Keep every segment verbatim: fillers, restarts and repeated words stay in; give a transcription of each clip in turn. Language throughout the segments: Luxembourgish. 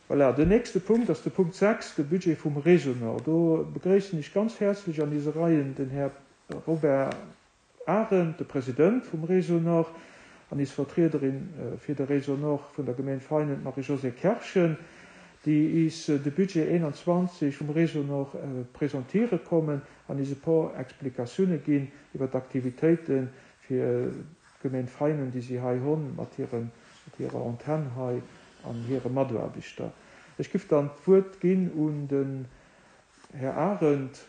Voilà, den nächste Punkt ass de Punkt sechs, de Budget vum Réseau Nord. Do begréissen ech ganz häerzlech an eise Reien den Här Robert Arendt, de President vum Réseau Nord, an eis Vertriederin fir de Réseau Nord vun der Gemeng Veinen, d'Marie-Josée Kerschen, déi is de Budget einundzwanzeg vum Réseau Nord presentiere kommen an is e puer Explikatioune ginn iwwer d'Aktivitéite fir d'Gemeng Veinen, déi si hei hunn, mat hiren, mat hirer Antenn hei an hire Mataarbechter. Ech giff dann d'Wuert ginn un den Här Arendt,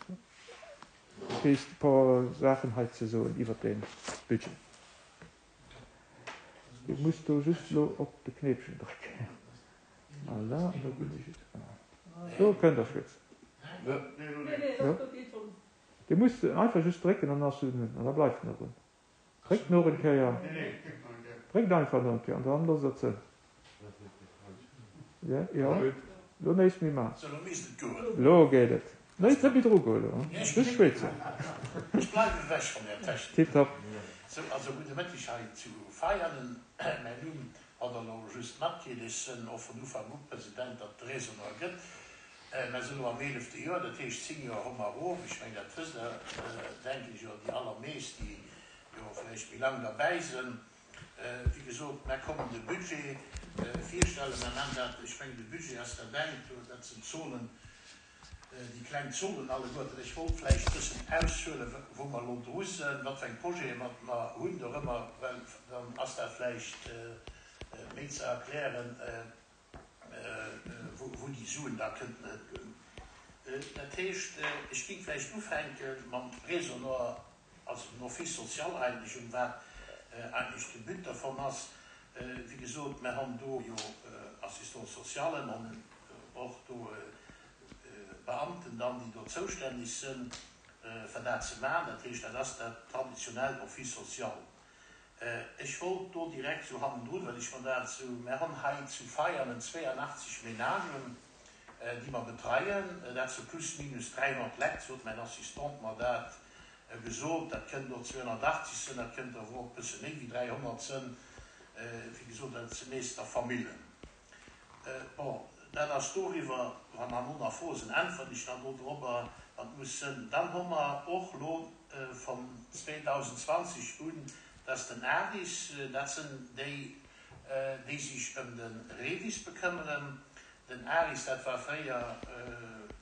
fir is e puer Saachen hei ze soen iwwer de Budget. Dir musst do just elo op de Knéipchen drécken. Voilà, an da ginn ech et. Do kënnt Der schwätzen. Jo. Dir musst einfach just drécken, dann ass en un an da bleift en och un. Dréckt nach eng Kéier. Dréckt einfach nach eng Kéier an dann loosst Der ze. Ja, ja. Lo néist méi man. Sou, lo misst et goen. Lo geet et. Néist net méi dru goen elo, just schwätzen. Ech bleiwen ewech vun där Technik. Tiptop. Sou, also gudde Mëtteg hei zu Veianen. Mäin Numm hat Der elo just matkritt. Ech sënn och vun Ufank u President, datt de Réseau Nord gëtt. Mer sinn elo am eelefte Joer, dat heescht zéng Joer hu mer erof. Ech mengen, dat wësst Der, denken ech, oder déi allermeescht, déi jo vläicht méi laang derbäi sënn. Wéi gesot, mer kommen de Budget virstellen. Mer man dat, ech mengen, de Budget ass dat engt, dat sinn d'Zolen, déi kleng Zolen alleguerten. Ech wollt vläicht e bëssen aushuelen, wou mer elo dru sinn, wat fir eng Projete mer mer hunn dorëmmer, well dann ass dat vläicht méi ze erklären, wou déi Suen da kënnten hëtgoen. Dat heescht, ech géing vläicht ufänke mam Réseau Nord, also den Office social eigentlech, um wat eigentlech de But dervon ass. Wéi gesot, mer han do jo Assistants-socialen, an och do Beamten dann, déi do zoustänneg sënn, fir dat ze maachen. Dat heescht, dat ass dat traditionellt Office social. Ech wollt do direkt sou hannendrun, well ech mer dat sou, mer han hei zu Veianen zweeanachtzeg Ménagen, déi mer betreien, dat sou plus minus dräihonnert Lekt, sot mäin Assistant mer dat gesot, dat kënnt och zweehonnertachtzeg sënn, dat kënnt awer och e bësse méi wéi dräihonnert sënn, wéi gesot, dat si meeschter Famillen. Bon, dat ass doriwwer, wann herno nach Froe sinn, äntweren ech dann do dorobber, wann et muss sënn. Dann hu mer och elo vun zweedausendzwanzeg un, dass den ARIS, dat sënn déi, déi sech ëm de REVIS bekëmmeren, den ARIS, dat war fréier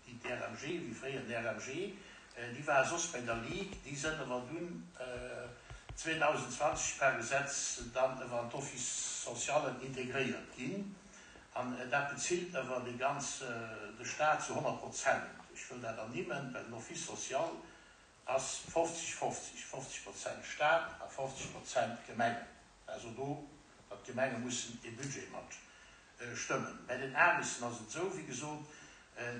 déi D R M G, wéi fréier D R M G, déi ware soss bei der Ligue, déi sënn awer dunn zweedausendzwanzeg per Gesetz dann ëwer an d'Office-socialen integréiert ginn. An dat bezilt ëwer dee ganz, de Staat zu honnert Prozent. Ech wëll dat ernimmen, well den Office social ass fofzeg fofzeg, fofzeg Prozent Staat a fofzeg Prozent Gemengen. Also do, datt d'Gemenge mussen e Budget mat stëmmen. Bei den ARISen ass et esou, wéi gesot,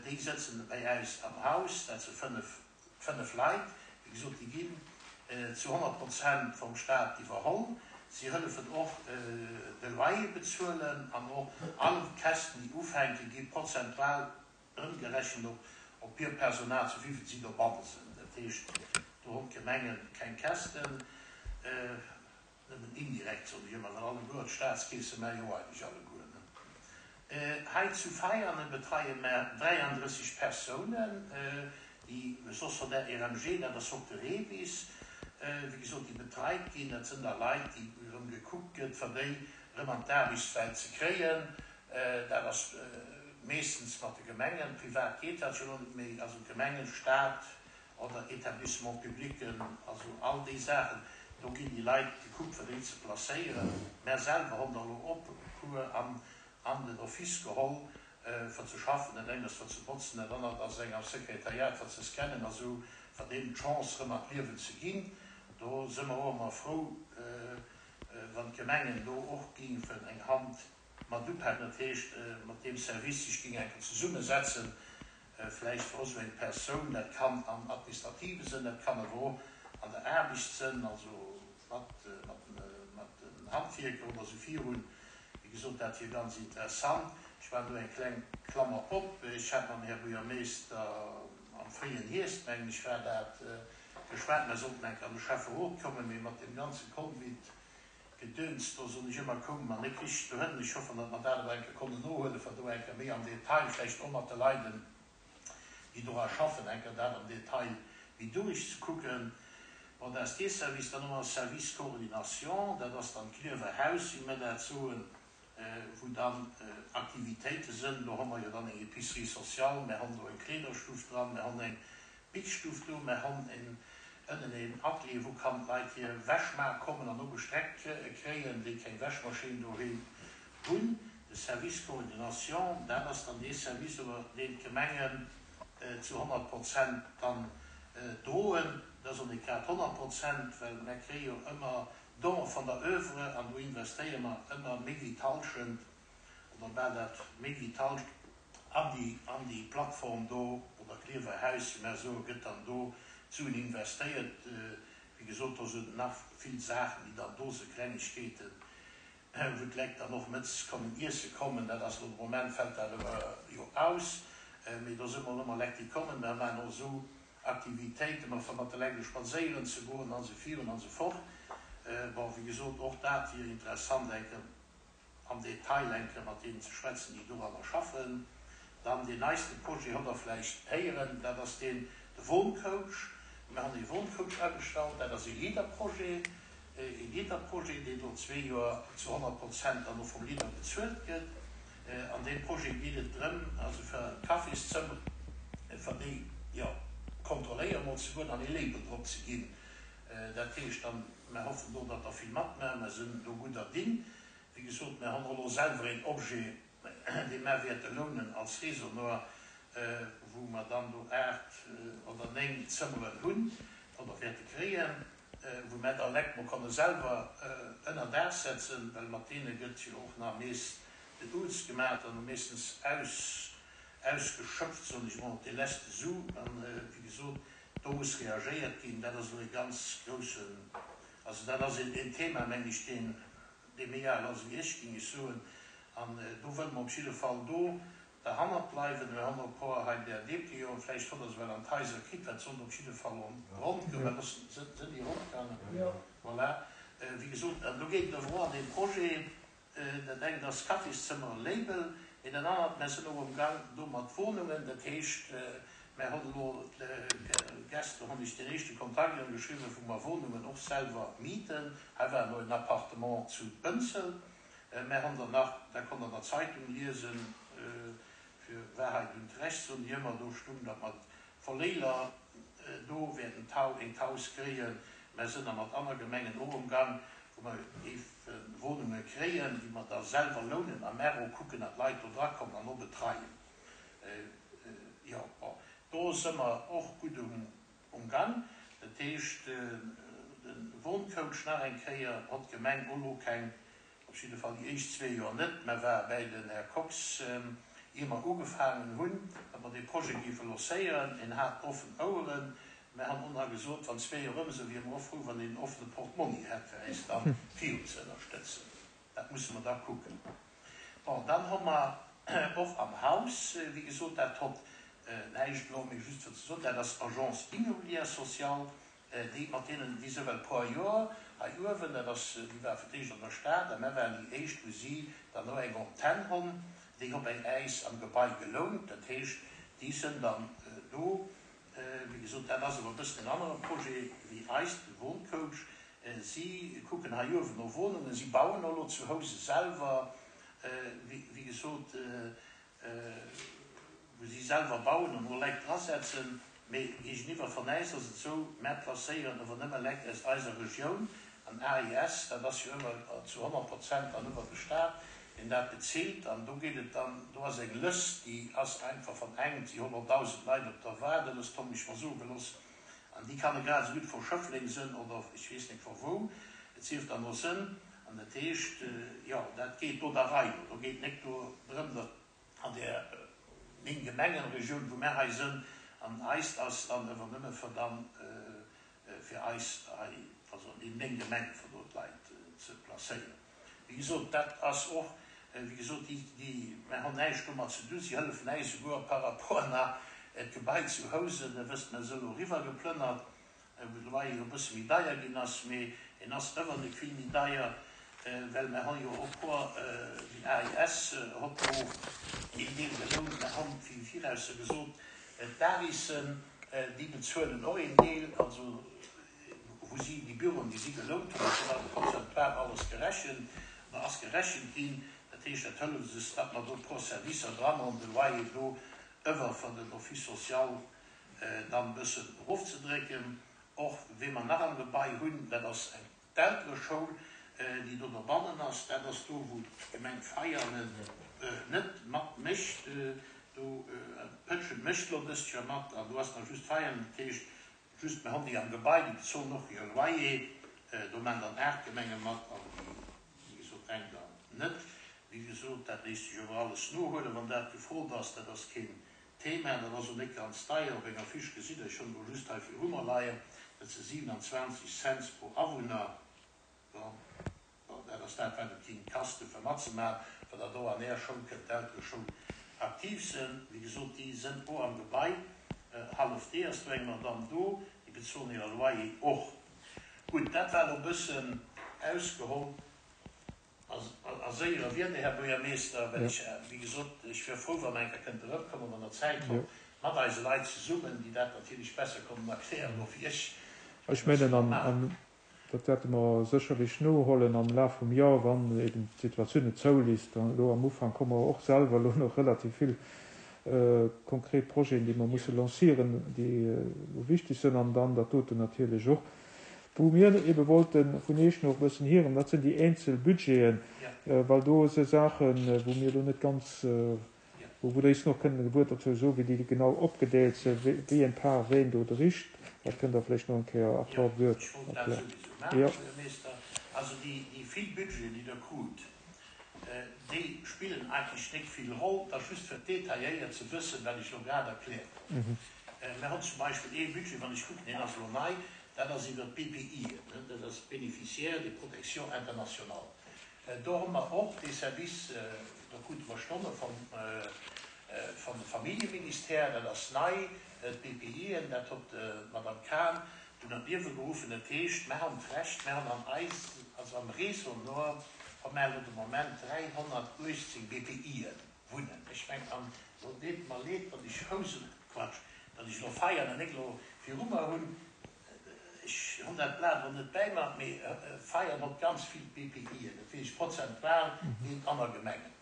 déi sëtzen bei äis am Haus, dat si fënnef, fënnef Leit, wéi gesot, déi ginn zu honnert Prozent vum Staat iwwerholl. Si hëllefen och de Loyer bezuelen an och all Käschten, déi ufänken, gi prozentual ëmgerechent op op hir Personal, sou wéi si dobanne sinn. Dat heescht, do hunn d'Gemenge keng Käschten, nëmmen indirekt, soen ech ëmmer, well alleguer d'Staatskeese mä jo eigentlech alleguer, ne? Hei zu Veianen betreie mer dräiandrësseg Persounen, déi soss von der R M G, dat ass och de REVIS, wéi gesot, déi betreit ginn. Dat sënn da Leit, déi erëm gekuckt gëtt, fir déi erëm an d'Aarbechtswelt ze kréien. Dat ass meeschtens mat de Gemengen, privat geet dat jo elo net méi, also Gemengen, Staat oder Établissements publics, also all déi Saachen, do ginn déi Leit gekuckt, fir déi ze placéieren. Mär selwer hunn der elo och e puer an an den Office geholl, fir ze schaffen. Dat eng ass fir ze botzen, dat anert ass eng am Sekretariat fir ze scannen a sou, fir deenen d'Chance erëm an d'Liewen ze ginn. Do si mer och ëmmer frou, wann d'Gemengen do och géifen eng Hand mat upaken, dat heescht mat deem Service sech géing eng Kéier zesummesetzen, vläicht fir och esou eng Persoun, dat kann am administrative Sënn, dat kann awer och an der Aarbecht sënn, also mat mat den Handwierker oder esou virun. Wéi gesot, dat wier ganz interessant. Ech maachen do eng kleng Klammer op. Ech hat mam Här Buergermeeschter am fréien Hierscht, mengen ech war dat, geschwat, mer sollten eng Kéier an de Schäfferot kommen, mee mat deem ganze Covid Gedöns, do soen ech ëmmer, koume mer net richteg dohënn. Ech hoffen, datt mer dat awer eng Kéier konnen nohuelen, fir do eng Kéier méi am Detail, vläicht och mat de Leiden, déi dora schaffen, eng Kéier dat am Detail méi duerchzekucken. Bon, dat ass dee Service. Dann hu mer Service Coordination, dat ass dann d'Klierfer Haus, wéi mer dat soen, wou dann Aktivitéite sënn. Do hu mer jo dann eng Épicerie sociale, mer hunn do eng Kleederstuff dran, mer hunn eng Bitzstuff do, mer hunn en ënnen een Atelier, wou kann d'Leit hir Wäsch maache kommen an och gestreckt kréien, déi keng Wäschmaschinn doheem hunn. De Service Coordination, dat ass dann dee Service, iwwer deen d'Gemengen zu honnert Prozent dann droen. Dat ass och net grad honnert Prozent, well mer kréie jo ëmmer Donë van der Oeuvre an do investéiere mer ëmmer méi wéi d'Hallschent oder bal dat méi wéi d'Hallschent an déi, an déi Plattform do oder Klierfer Haus, wéi mer soen, gëtt dann do d'Suen investéiert. Wéi gesot, do sinn nach vill Saachen, déi dann do sinn, Klengegkeeten, wou d'Lekt dann och mëttes kommen iesse kommen. Dat ass elo de Moment, fält dat awer jo aus, mee do si mol ëmmer Lekt, déi kommen. Mer maachen och esou Aktivitéiten, mat fir mat de Lekt spadséieren ze goen an esou virun an esou fort. Bon, wéi gesot, och dat wier interessant, eng Kéier am Detail eng Kéier mat deenen ze schwätzen, déi doranner schaffen. Dann deen neiste Projet hutt Der vläicht héieren, dat ass deen, de Wohncoach. Mir hunn ee Wohncoach agestallt, dat ass ee Leader-Projet, ee Leader-Projet, deen elo zwee Joer zu honnert Prozent dann och vum Leader bezuelt gëtt. An deem Projet geet et drëm, also fir d'Cafészëmmer, fir déi, jo, kontrolléieren emol ze goen an ee Label drop ze ginn. Dat heescht dann, mer hoffen do, datt der vill matmaachen, mer sinn do gudder Ding. Wéi gesot, mer hunn och elo selwer een Objet, dee mer wäerte lounen als Résonor, wou mer dann do aacht oder néng Zëmmeren hunn oder wäerte kréien, wou mer da Lekt mol konne selwer ënner Daach setzen, well mat deene gëtt jo och nach meest den Uz gemaach an meeschtens aus, ausgeschöpft, soen ech mol, op dee leschte Su. An, wéi gesot, do muss reagéiert ginn. Dat ass elo e ganz groussen, also dat ass een Thema, meng ech, deen, dee méi al ass wéi ech, géing ech soen. An do wëlle mer op jidde Fall do derhannert bleiwen. Mir hunn och e puer hei där Déplianten, vläicht hutt Der se well an d'Haiser kritt, well d'sonn op jidde Fall rondgoung. Well sinn déi rondgaangen? Voilà. Wéi gesot, an do geet et awer och an deem Projet, dat engt ass Kaffiszimmeren Label, mee dat anert, mer sinn och am Gang do mat Wohnungen. Dat heescht, mer hunn elo gester hunn ech den éischte Kontakt ënnerschriwwen, wou mer Wohnungen och selwer mieten. Hei war elo en Appartement zu Bënzel. Mer hunn der nach, dat konnt Der an der Zeitung liesen, fir Wahrheit und Recht soen déi ëmmer, do stung, datt mer d'Verléiler do wäerten een d'Haus kréien. Mer sinn da mat anner Gemengen och amgang, wou mer géife Wohnunge kréien, déi mer da selwer lounen a mer och kucken, datt d'Leit do drakommen an och betreien. Jo, bon, do si mer och gutt um Gang. Dat heescht, de Wohncoach nach eng Kéier hott d'Gemeng och elo keng, op jidde Fall déi éischt zwee Joer net. Mer ware bäi den Här Kox, ier mer ugefaangen hunn, datt mer dee Projet géife lancéieren. En hat offen Oueren. Mer han och nach gesot, wann zwee Joer ëm sinn, wiere mer och frou, wann een en offene Portmonni hätt, fir äis da virun ze ënnerstëtzen. Dat musse mer da kucken. Bon, dann hu mer och am Haus, wéi gesot, dat hott näischt elo, mee just fir ze soen, dat ass Agence immobilière sociale, déi mat deenen, déi sou well puer Joer hei uewen, dat ass, déi war fir d'éischt an der Stad a mer waren déi éischt, wou si dann och eng Antenn hunn, déi hu bei äis am Gebai gelount, dat heescht, déi sënn dann do. Wéi gesot, dat ass awer e bëssen en anere Projet wéi eist, de Wohncoach. Si kucken hei uewen no Wohnungen, si bauen och elo zu Housen selwer, wéi gesot, wou si selwer bauen an och Leit drasetzen. Mee géigeniwwer van äis ass et esou, mär placéieren ower nëmme Leit aus eiser Regioun an A I S, dat ass jo ëmmer zu honnert Prozent dann iwwer de Staat, deen dat bezilt. An do geet et dann, do ass eng Lëscht, déi ass einfach van engem, si hunn och dausend Leit op der Waardelëscht, hunn ech mer soe gelooss, an déi kann e grad esou gutt vu Schëffleng sënn oder ech weess net vu wou, et sief dann no sënn. An dat heescht, jo, dat geet do der Rei no. Do geet net do drëm, datt an där néng Gemengenregioun, wou mär hei sënn, an eist ass dann ëwer nëmme fir dann fir eis hei, also an deenen néng Gemengen, fir do d'Leit ze placéieren. Wéi gesot, dat ass och, wéi gesot, déi, déi, mär hunn näischt domat ze dun, si hëllefen äis souguer par rapport nach d'Gebai zu Housen, der wësst, mär si elo eriwwergeplënnert, wou de Loyer jo e bësse méi deier ginn ass, mee en ass ëwer net vill méi deier. Well mer hu jo och puer, déi A I S hott do een Deel gelount. Mer hunn wéi viraus gesot, d'Arissen, déi bezuelen och een Deel, also wou si déi Büroen, déi si gelount hunn, dat ass prozentual alles gerechent, oder ass gerechent ginn. Dat heescht, dat hëlleft eis, datt mer do pro Servicer dran hunn, de Loyer do ëwer vun den Office social dann e bëssen erofzedrécken. Och wéi mer nach am Gebai hunn, dat ass eng d'Eltereschoul, déi do dobannen ass. Dat ass do, wou d'Gemeng Veianen net mat mécht. Do Pëtschent mécht elo dëst Joer mat an do ass nach just Veianen. Dat heescht, just mir hunn déi am Gebai, déi bezolen och hire Loyer. Do maachen dann aacht Gemenge mat an déi, wéi gesot, eng dann net. Wéi gesot, dat léisst sech awer alles nohuelen, wann dat gefrot ass. Dat ass keen Thema. Dat ass och net ganz deier. Op enger Fiche gesitt Der, ech hunn elo just hei viru mer leien, dat si siewenundzwanzeg Cents pro Awunner. Bon, dat ass dat, wat et géing kasten, fir matzemaachen, wann Der do an Är Schoul kënnt, d'Eltereschoul, aktiv sinn. Wéi gesot, déi sinn och am Gebai, hallef dee ass do eng Madame do, déi bezuelen hire Loyer och. Gutt, dat war elo e bëssen ausgeholl a séiere Wierder, Här Buergermeester, well ech, wéi gesot, ech wier frou, wa mer eng Kéier kënnte erëmkommen, wann Der Zäit hutt, mat eise Leit zesummen, déi dat natierlech besser kënnen erklären elo wéi ech. Ech mengen, an dat wäerte mer sécherlech nohuelen am Laf vum Joer, wann eben d'Situatioun et zouliisst. Elo am Ufank hu mer och selwer elo nach relativ vill konkret Projeten, déi mer musse lancieren, déi elo wichteg sinn, an dann dat doten natierlech och. Wou mir ebe wollte vun Iech nach e bëssen hieren, dat sinn déi eenzel Budgeten, well do si Saachen, wou mir elo net ganz, wou Der eis nach kënnen e Wuert dozou soen, wéi déi genau opgedeelt sinn, wéi eng Part ween do dréit. Dat kënnt Der vläicht nach eng Kéier a puer Wuert Ech wollt dat erklären. souwisou maachen, Jo. Buergermeester. Also déi vill Budgeten, déi Der krut, déi spillen eigentlech net vill Roll. Dat ass just fir detailléiert ze wëssen, wat ech elo grad erkläert hunn. Mir hunn zum Beispill ee Budget, wann ech kucken, deen ass elo nei, dat ass iwwert d'B P Ien, dat ass Bénéficiaires de protection internationale. Do hu mer och dee Service, do krute mer Stonne vum vum Familljeministère, dat ass nei, d'B P Ien, dat huet d'Madame Cahn dunn an d'Liewe geruffen. Dat heescht, mer hunn d'Recht, mer hunn an eis, also am Réseau Nord, hu mer elo de Moment dräihonnertuechtzéng B P Ien wunnen. Ech mengen, an elo deet mer leed, datt ech Housen, Quatsch, datt ech elo Veianen net elo viru mer hunn, ech hunn dat Blat elo net bäi mer, mee Veianen huet ganz vill B P Ien, dat weess ech prozentual géint aner Gemengen.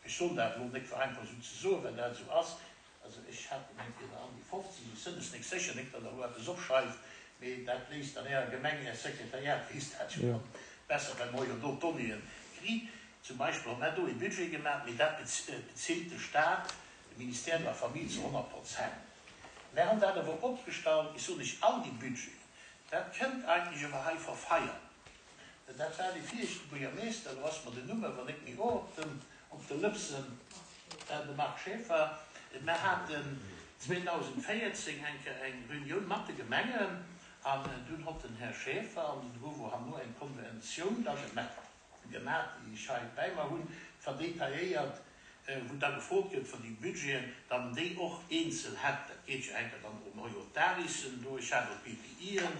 Ech soen dat elo net fir einfach esou ze soen, well dat esou ass. Also ech hat gemengt, et wier der an déi fofzeg, ech sënn es nik sécher, nik datt Der elo eppes opschreift, mee dat léisst dann Ärer Gemeng, Är Sekretariat weess dat jo dann besser, well mer jo do d'Donnéeën kritt. Zum Beispill hu mer do ee Budget gemaach, mee dat bezilt de Staat, de Ministère de la Famille zu honnert Prozent. Mer hunn dat awer opgestallt, ech soen lech all déi Budgeten, dat kënnt eigentlech awer hei vu Veianen. Dat war dee viregte Buergermeester, elo ass mer den Numm awer net méi op den op de Lëpsen, de Marc Schaeffer. Mer haten zweedausendvéierzéng eng Kéier eng Reunioun mat de Gemengen an dunn hott den Här Schaeffer an den Ruvo Hanno eng Konventioun da gemaach, déi ech hei bäi mer hunn, verdetailléiert, wou da gefrot gëtt fir déi Budgeten, datt en déi och eenzel hätt. Dat geet jo enker dann ëm hei och d'Arissen do, ech hat och d'B P Ien,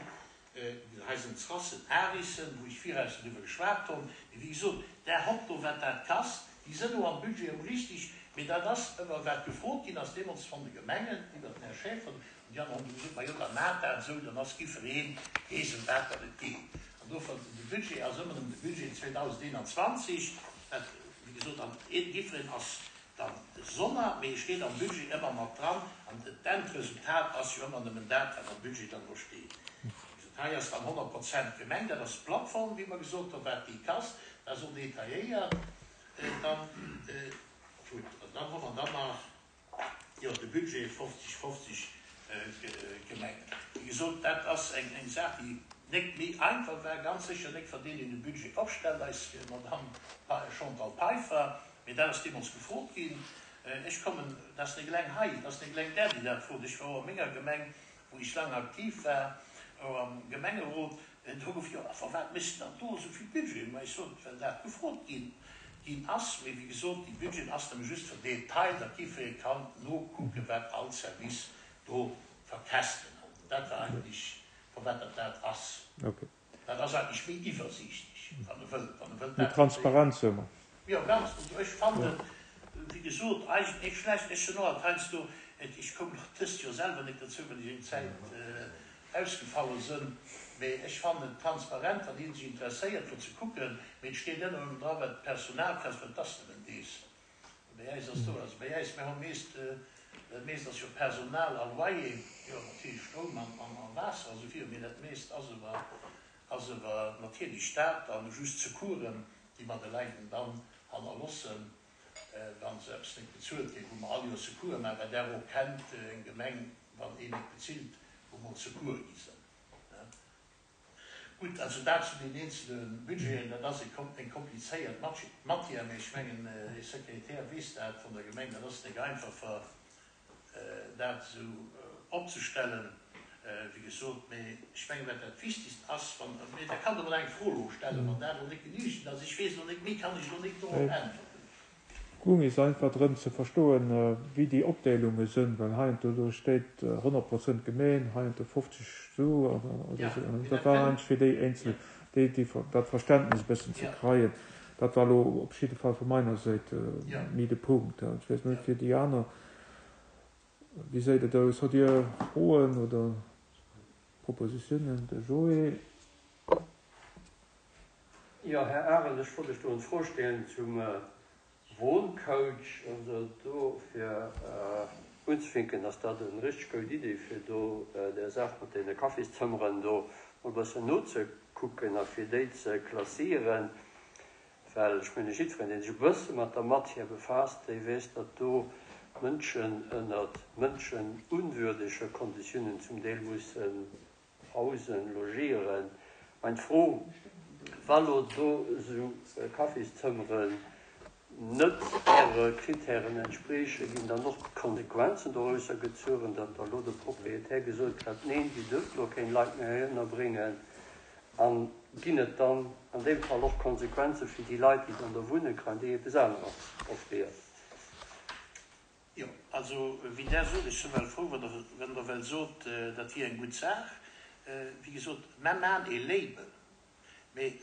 hei sinn d'Srassen, Arissen, wou ech viraus driwwer geschwat hunn. Mee wéi gesot, där hott do, wat dat kasst, déi sënn och am Budget ëm richtig, mee dat ass ëmmer wat gefrot ginn ass deemools von de Gemengen iwwert den Här Schaeffer, an déi aner hunn du gesot, ma jo, da maacht dat esou, dann ass jiddweree weess, ëm wat datt et geet. An dofir, de Budget ass ëmmer nëmmen de Budget zweedausendeenanzwanzeg, dat, wéi gesot, an jiddwereen ass dann gesonner, mee e steet am Budget ëmmer mat dran, an d'Endresultat ass jo ëmmer nëmmen dat, wat am Budget dann do steet. Wéi gesot, hei ass dann honnert Prozent Gemeng, dat ass d'Plattform, wéi mer gesot hunn, wat déi kasst, dat ass och detailléiert dann. Gutt, an dann hu mer dann nach, jo, de Budget fofzeg fofzeg Gemengen. Wéi gesot, dat ass eng eng Saach, déi net méi einfach war, ganz sécher net fir deen, deen de Budget opstellt, eis Madamm Chantal Peiffer, mee dat ass deemools gefrot ginn. Ech kommen, dat ass net eleng hei, dat ass net eleng där, déi dat frot. Ech war och a menger Gemeng, wou ech laang aktiv war, och am Gemengerot, do gouf jo, a firwat méchs de dann do esou vill Budgeten? Ma ech sot, well dat gefrot ginn ginn ass. Mee wéi gesot, déi Budgeten ass nëmme just fir Detail, datt jiddweree kann nokucken, wat all Service do verkäschten huet. Dat war eigentlech, firwat dat dat ass. Okay. Dat ass eigentlech méi iwwersiichtlech, wann e wëllt, wann e wëllt Méi dat transparent, soe mer. Jo, ganz. Also ech fannen, wéi gesot, eigentlech net schlecht. Ech hunn och alt heiansdo, et, ech koum och dëst Joer selwer net dozou, well ech eng Zäit ausgefalle sënn, mee ech fannen et transparent, wann ee sech interesséiert, fir ze kucken. Mee et steet ëmmer erëm dra, wat d'Personal kascht, well et ass nëmmen dees. Bei äis ass do, also bei äis, mir hu meest, dat meest ass jo Personal a Loyer, jo natierlech Stroum an, an, an Waasser a sou viru, mee dat meest ass ewer, ass ewer natierlech dat an just Secoursen, déi mer de Läiten dann hannerlossen, wa se eppes net bezuelt kréien, wou mer all Joer Secoure maachen, well Der och kennt eng Gemeng, wann een net bezilt, wou mol Secoure gi sinn. Gutt, also dat zu den eenzele Budgeten. Dat ass eng komplizéiert Matière, mee ech mengen, Här Sekretär weess dat vun der Gemeng, dat ass net einfach, fir dat esou opzestellen, wéi gesot. Mee ech mengen, wat dat Wichtigst ass, wann, mee da kann Der emol eng Fro elo stellen, wann dat elo net genügend ass. Ech weess elo net, méi kann ech elo net dorop äntwerten. Goung is einfach drëm ze verstoen, wéi déi Opdeelunge sënn, well heiansdo do steet honnert Prozent Gemeen, heiansdo fofzeg sou oder sou. An dat war eigentlech fir déi eenzel, déi, déi, dat Verständnis e bëssen ze kreien. Dat war elo op jidde Fall vu meiner Säit méi de Punkt. Ech weess net fir déi aner, wéi seet et aus? Hutt Dir Froen oder Propositiounen? De Joé. Jo, Här Arendt, ech wollt lech do eng Fro stellen zum Wohncoach. Also do fir unzefinken, ass dat eng richteg goud Idee, fir do där Saach mat deene Kaffiszëmmeren do mol e bëssen nozekucken a fir déi ze klassieren. Well ech menge jiddwereen, dee sech e bësse mat der Matière befaasst, dee weess, datt do Mënschen ënnert mënschenunwürdege Konditiounen zum Deel mussen hausen, logieren. Mein Fro, wa lo do esou Kaffiszëmmeren net Äre Kritären entspriechen, ginn dann och d'Konsequenzen dorausser gezueren, datt da lo de Proprietär gesot kritt, neen, Dir dürft lo keng Leit méi hei ënnerbréngen? A ginn et dann an deem Fall och Konsequenze fir déi Leit, déi dann do wunne, kréien déi eppes aneres offréiert? Jo, also wéi Der sot, ech si well frou, wann Der, wann Der well sot, dat wier eng gutt Saach. Wéi gesot, mer maachen ee Label, mee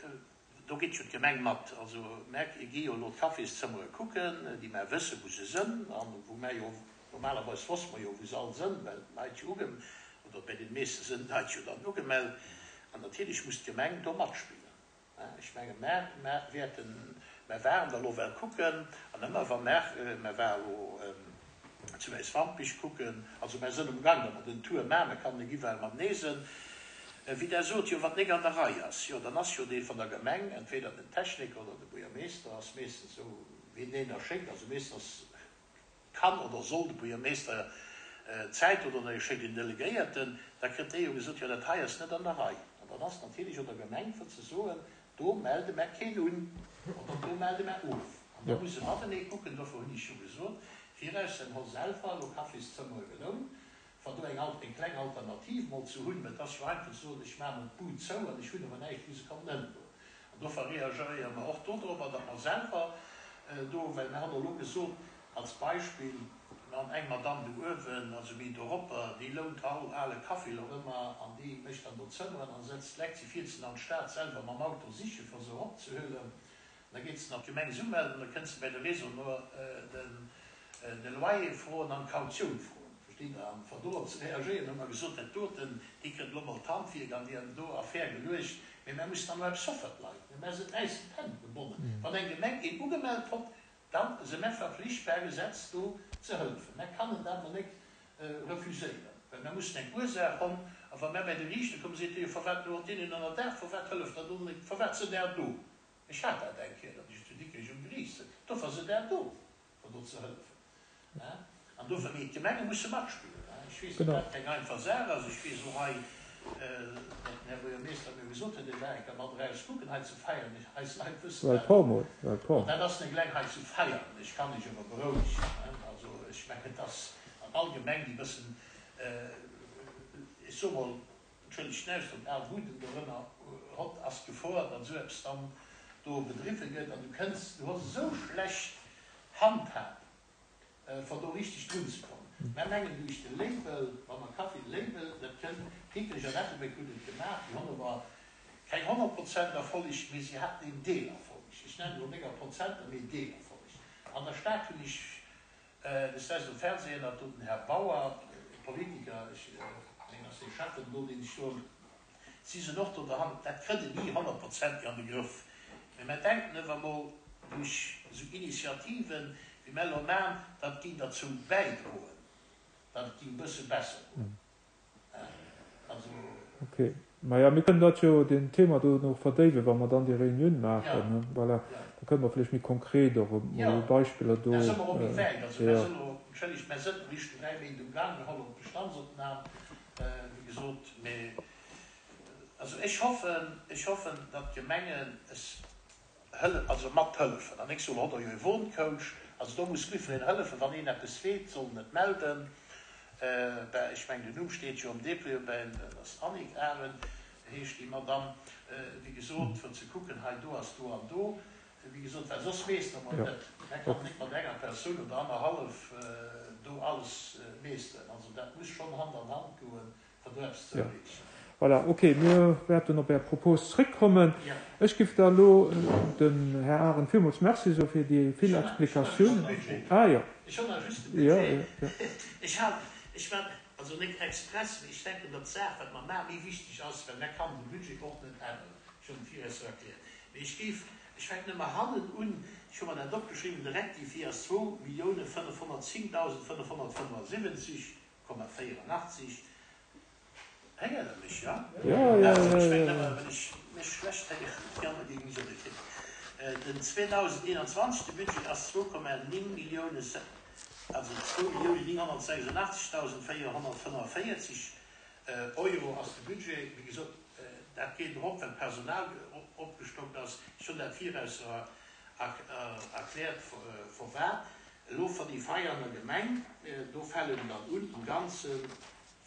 do geet jo d'Gemeng mat. Also mer gi jo elo d'Cafészëmmere kucken, déi mer wëssen, wou se sënn, an wou mer jo, normalerweis wosste mer jo, wou se all sënn, well d'Leit jo uge, oder bei den meeste sënn d'Leit jo dann ugemellt. An natierlech muss d'Gemeng do matspillen. Ech menge mer, mer wäerten, mer waren da lo well kucken, an ëmmer wa mer, mer war elo zu Wäiswampich kucken, also mer sënn um Gang, datt mer den Tour maachen, mer kann net iwwerall matenee sënn. Wéi Der sot, jo wann nik an der Rei ass, jo dann ass jo dee vun der Gemeng, entweder den Techniker oder de Buergermeester, ass meestens esou wien deen da schéckt, also meestens kann oder soll de Buergermeester Zäit oder e schéckt een Delegéierten, da kritt dee jo gesot, jo dat hei ass net an der Rei. An dann ass natierlech och der Gemeng fir ze soen, do melde mer keen un oder do melde mer of. An da muss e matenee kucken, dofir hunn ech jo gesot, viraus den Hol selwer elo Cafészëmmere gelount, fir do eng eng kleng Alternativ mol ze hunn, mä et ass jo einfach ze soen, ech maache mol d'Bud zou an ech hunn awer näischt, wou se kann ënnergoen. An dofir reagéiere mer och dodrobber, datt mer selwer do, well mer hunn elo gesot, als Beispill, mer hunn eng Madame do uewen, also méi doropper, déi lount all ale Café elo ëmmer an déi mécht dann do Zëmmeren an setzt d'Leit, si fiert se an d'Stad selwer mam Auto siche fir se eropzehuelen. Da geet se an d'Gemeng se umelden, da kënnt se bei de Réseau den de Loyer froen an d'Kautioun froen. Verstitt Der? An fir dorop ze reagéieren, hu mer gesot, dat doten, déi kritt elo mol d'Handwierk an déi an do Affär geluecht, mee mer mussen dann elo eppes soe fir d'Leit, mee mer sinn äis d'Hänn gebonnen. Wann eng Gemeng een ugemellt hott, da si mer verpflicht per Gesetz do ze hëllefen. Mer kannen dat mer net refuséieren, well mer mussen eng Ursaach honn. A wa mer bei de Riichter kommen, seet dee jo, Firwat elo hott deen een ënnerdaach, firwat hëlleft der do net, firwat sidd Der do? Ech hat dat eng Kéier, datt ech zu Dikrech um Geriicht sëtz. Dofir sidd Der do, fir do ze hëllefen. An dofir, mee d'Gemenge musse matspillen. Ech weess, datt dat keng einfach Saach ass. Ech weess och hei, datt den Här Buergermeeschter mir gesot huet, e war eng Kéier mat eraus kucken hei zu Veianen. Eis Leit wëssen dat och. An dat ass net eleng hei zu Veianen. Ech kann Iech awer berouegen. Also ech mengen, et ass an all Gemeng, déi e bëssen, ech soe mol, entschëllegt den Ausdrock, al Buden dorënner hott, ass d'Gefor, datt esou eppes dann do bedriwwe gëtt. An du kënns, du hues esou schlecht Handhab, fir do richteg drun ze kommen. Mär mengen duerch de Label, wa mer Kaffi Label, dat kënnt, Dikrech an Ettelbréck hunn et gemaach, déi hunn awer Keng honnert Prozent Erfolleg, mee si haten een Deelerfolleg. Ech nennen elo nénger Prozenter, mee Deelerfolleg. An der Stad hunn ech des Daags um Fernsehen, dat do den Här Bauer, e Politiker, ech mengen ass dee Schäffen do, deen ech do, si sinn och do derhannert, dat kritt een ni honnertprozentig an de Grëff, mee mer denken ëwer mol duerch esou Initiativen, wéi mer elo maachen, dat géing derzou bäidroen, datt et géing e bësse besser goen. Also. Ok. Maja, mir kënnen dat jo, deen Thema do nach verdéiwen, wa mer dann déi Reunioun maachen, ne? Voilà. Da kënnen mer vläicht méi konkret och emol Beispiller do. Da si mer och méi wäit. Also mer Jo. sinn elo, entschëllegt, mer sënn eréischt dräi Méint um Gang, mir hollen d'Bestandsopnam, wéi gesot, mee also ech hoffen, ech hoffen, datt d'Gemengen es hëlle, also mathëllefen. An ech soen, hott der jo e Wohncoach, also do muss jiddwereen hëllefen, wann een eppes weet, soll en et melden. Ben, ech mengen, den Numm steet jo am Dépliant, ben, dat ass Annick Arendt, heescht déi Madamm, wéi gesot, fir ze kucken, hei do ass do an do, wéi gesot, well soss meeschteren mer et Jo. net. Mer kann Ok. net mat enger Persoun oder annerhallef do alles meeschteren. Also dat muss schonn Hand an Hand goen, fir do eppes ze Jo. erreechen. Voilà, ok, mir wäerten op Är Propos zréckkommen. Jo. Ech giff da elo dem Här Arendt villmools Merci soe fir déi Ech vill hunn nach, ech hunn nach just de Explikatiounen. Budget. Ah jo. Ech hunn nach just de Jo, Budget. jo, jo. Ech hat, ech war, also net express, mee ech denken, datt d'Saach, wat mer maachen, méi wichteg ass, well mer kann de Budget och net änneren. Ech hunn et viraus erkläert. Mee ech géif, ech fänken ëmmer hannen un, ech hu mer dat opgeschriwwen, de Rectifié ass zwou Millioune fënnefhonnertzéngdausend fënnefhonnertfënnefasiwwenzeg Komma véierunachtzeg. Héiert Der mech, jo? Jo, jo, Also, jo, ech jo, mengen jo. ëmmer, wann ech mech schlecht héieren, déi aner géinge mech och net héieren. Den zweedausendeenanzwanzeg, de Budget ass zwou Komma néng Millioune, also zwou Millioune nénghonnertsechsundachtzegdausend véierhonnertfënnefvéierzeg Euro ass de Budget. Wéi gesot, dat geet erop, well d'Personal opgestockt ass. Ech hunn dat viraus erkläert, firwat. Elo fir déi Veianer Gemeng, do falen dann un am Ganze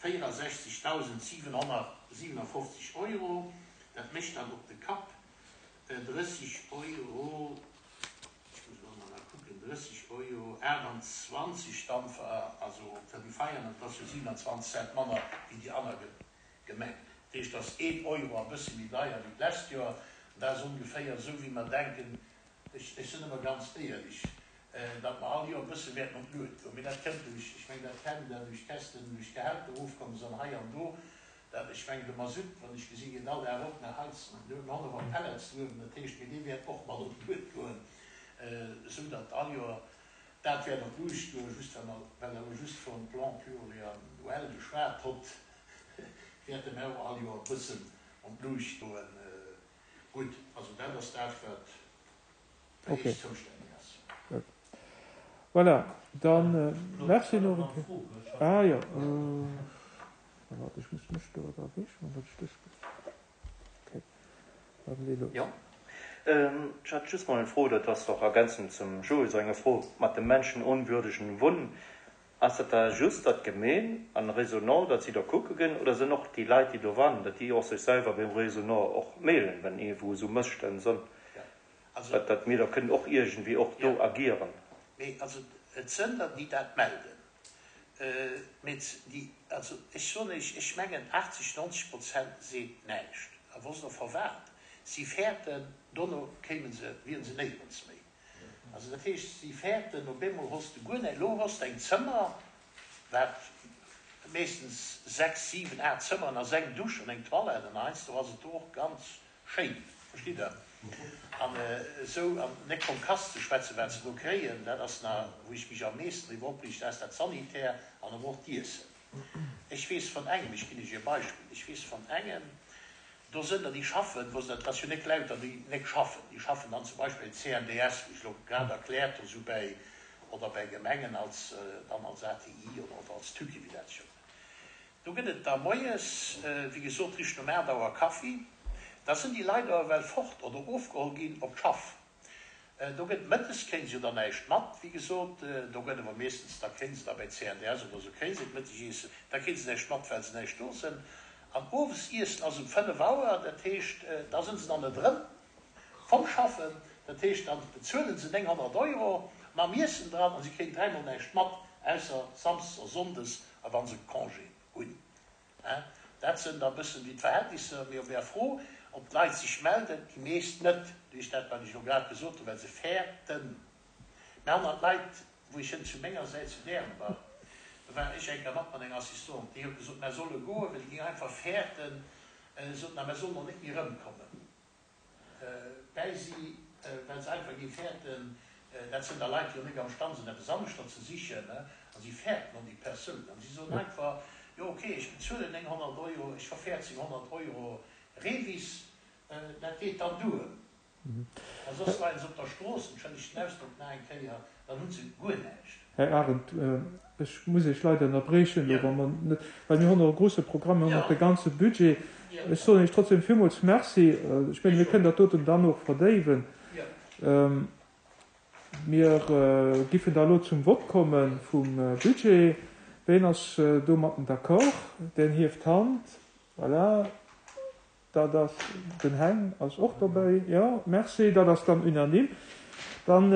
véierundsechzegdausendsiwenhonnertsiewenundfofzeg Euro. Dat mécht dann op de Kapp drësseg Euro, ech muss elo emol nach kucken, drësseg Euro aachtundzwanzeg dann, also fir déi Veianer, dat ass jo siewenundzwanzeg Cent manner wéi déi aner Gemeng. Dat heescht, dat ass een Euro a bësse méi deier wéi d'lescht Joer. An dat ass ongeféier esou, wéi mer denken, ech sinn ëmmer ganz éierlech, datt mer all Joer e bësse wäerten op d'Lued goen. Mee dat kënnt duerch, ech mengen, dat kennt Der, duerch d'Käschten, duerch d'Gehälter erofkomm sinn hei an do. Dat, ech mengen, de Masutt, wann ech gesinn, geet all Dag erop, mer heizen, mir hunn awer Pellets uewen, dat heescht, mee dee wäert och mat op d'Lued goen, esou datt all Joer dat wäert op d'Luucht goen. Just well mer, well Der elo just vum Plan pluriannuel geschwat hutt, wäerte mer och all Joer e bëssen an d'Luucht goen. Gutt, also dat ass dat, wat fir Okay. Iech zoustänneg ass. Gutt. Voilà, dann Claude, merci ech hat nach nach eng eng Kéier. Fro. Ech hat Ah nach jo, eng Fro. waart, ech muss mech do erwischen, datt ech dës. Okay, dann lee los. Jo, ech hat just mol eng Fro, dat ass och ergänzend zum Joe senger Fro mat dem menschenunwürdigen Wohnen. Ass dat da just datt d'Gemeen an Réseau Nord, datt si da kucke ginn, oder sinn och déi Leit, déi do wannen, datt déi och sech selwer beim Réseau Nord och mailen, wenn iergendwou esou Mësstänn sinn, Ja, also. datt datt mir da kënnen och iergendwéi och do Ja. agieren? Mee also et sënn der, déi dat melden. Mee déi, also ech soen Iech, ech mengen aachtzeg, neunzeg Prozent seet näischt. A wosst Der firwat? Si fäerten, dono kéime se, wieren se néierens méi. Also dat heescht, si fäerten, op eemol hues de guer näischt. Elo hues de eng Zëmmer, wat meeschtens sechs, siwen, aacht Zëmmeren ass, eng Dusch an eng Toilette, an heiansdo ass et do och ganz schéin, verstitt Der? An esou, an net vum Kass ze schwätzen, wat se do kréien, dat ass nach, wou ech mech am meeschten driwwer opreegen, dat ass dat Sanitär an awer och d'Iessen. Ech weess vun engem, ech ginn Iech e Beispill, ech weess vun engem, do sënn der, déi schaffen, wou se, dat ass jo net lauter, déi net schaffen, déi schaffen dann zum Beispill C N D S, wéi ech elo grad erkläert hu, sou bäi, oder bäi Gemengen als, dann als A T I oder, oder als Tüki, wéi dat sech och nennt. Do gëtt et da moies, wéi gesot, richt nom aacht Auer Kaffi. Da sinn déi Leit awer well fort oder ofgeholl ginn op d'Schaff. Do gëtt mëttes, kréien se jo dann näischt mat, wéi gesot, do gëtt awer meeschtens, da kréien se da bäi C N D S oder esou kréien se d'Mëttegiessen, da kréien se näischt mat, well se näischt do sinn. An owes iessen ass um fënnef Auer, dat heescht, da sinn se dann net erëm vom Schaffen, dat heescht, da bezuelen se nénghonnert Euro mam Iessen dran a si kréien dräimol näischt mat, ausser samsdes a sonndes a wa se Congé hunn. Dat sinn da bëssen déi d'Verhältnisser. Mee op Är Fro, Ob d'Leit sech melden, déi meescht net, duerch dat, wat ech elo grad gesot hunn, well se fäerten. Mä aner Leit, wou ech hënt zu menger Säit zu Därenbach, do war ech eng Kéier mat mat enger Assistante, déi huet gesot, mär solle goen, well déi géing einfach fäerten, sot, na, mär sollen och net méi erëmkommen bäi si, well se einfach géing fäerten, dat sinn da Leit, déi och net am Stand sinn, eppes aneschter ze sichen, a si fäerten och déi Persoun. An si soen einfach, jo okay, ech bezuelen nénghonnert Euro, ech verfäerzing honnert Euro Revis, dat geet dann duer. A soss leien se op der Strooss, entschëllegt den Ausdrock nach eng Kéier, dann hu se guer näischt. Här Arendt, ech muss Iech leider ënnerbriechen elo, wa mer net, well mir hunn och e grouse Programm, mir hunn och de ganze Budget. Ech soen Iech trotzdem villmools Merci. Ech mengen, mir kënnen dat doten dann och verdéiwen. Mir giffen da elo zum Vott komme vum Budget. Ween ass domatten d'accord? Deen hieft d'Hand. Voilà. Dat ass, den Heng ass och dobäi. Jo, merci, dat ass dann unanime. Dann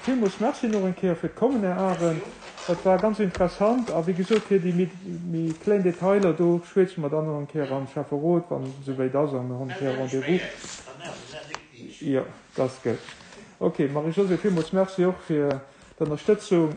villmools Merci nach eng Kéier fir d'Kommen, Här Arendt. Dat war ganz interessant. A wéi gesot, fir déi méi kleng Detailer, do schwätze mer dann nach eng Kéier am Schäfferot, wann et esouwäit ass a mir hunn eng Kéier Rendez-vous. Jo, dat ass gutt. Okay, Marie-Josée, villmools Merci och fir d'Ënnerstëtzung.